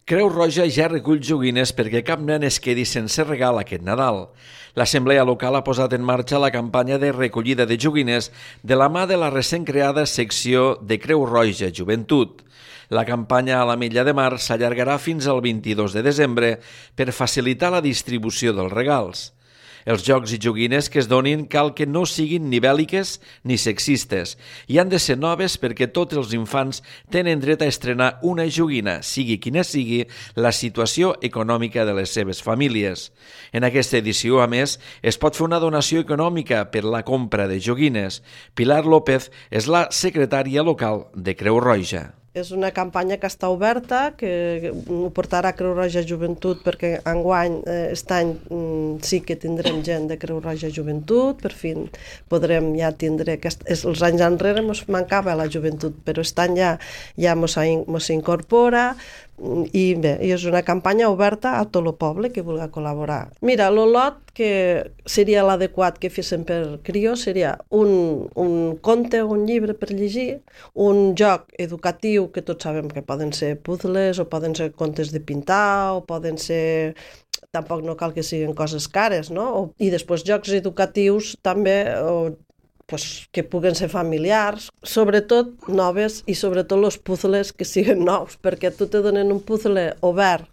Creu Roja ja recull joguines perquè cap nen es quedi sense regal aquest Nadal. L'Assemblea Local ha posat en marxa la campanya de recollida de joguines de la mà de la recent creada secció de Creu Roja Joventut. La campanya a l'Ametlla de Mar s'allargarà fins al 22 de desembre per facilitar la distribució dels regals. Els jocs i joguines que es donin cal que no siguin ni bèl·liques ni sexistes i han de ser noves perquè tots els infants tenen dret a estrenar una joguina, sigui quina sigui la situació econòmica de les seves famílies. En aquesta edició, a més, es pot fer una donació econòmica per la compra de joguines. Pilar López és la secretària local de Creu Roja. És una campanya que està oberta, que ho portarà Creu Roja Joventut perquè enguany, aquest any, sí que tindrem gent de Creu Roja Joventut, per fi podrem ja tindre... Els anys enrere ens mancava la joventut, però aquest any ja ens incorpora i bé, és una campanya oberta a tot el poble que vulgui col·laborar. Mira, el lot que seria l'adequat que féssim per crió seria un conte o un llibre per llegir, un joc educatiu que tots sabem que poden ser puzzles o poden ser contes de pintar o poden ser... Tampoc no cal que siguin coses cares, no? I després jocs educatius també que puguen ser familiars, sobretot noves i sobretot els puzzles que siguin nous, perquè tu te donen un puzzle obert,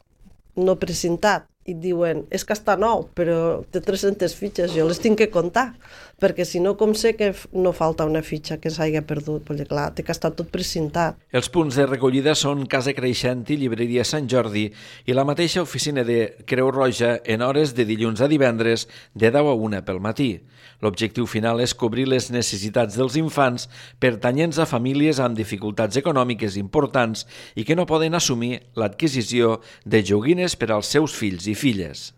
no precintat, i et diuen, és que està nou, però té 300 fitxes, jo les tinc que comptar, perquè si no, com sé que no falta una fitxa que s'hagi perdut, perquè clar, té que estar tot precintat. Els punts de recollida són Casa Creixent i Llibreria Sant Jordi i la mateixa oficina de Creu Roja en hores de dilluns a divendres de 10 a 1 pel matí. L'objectiu final és cobrir les necessitats dels infants pertanyents a famílies amb dificultats econòmiques importants i que no poden assumir l'adquisició de joguines per als seus fills i filles.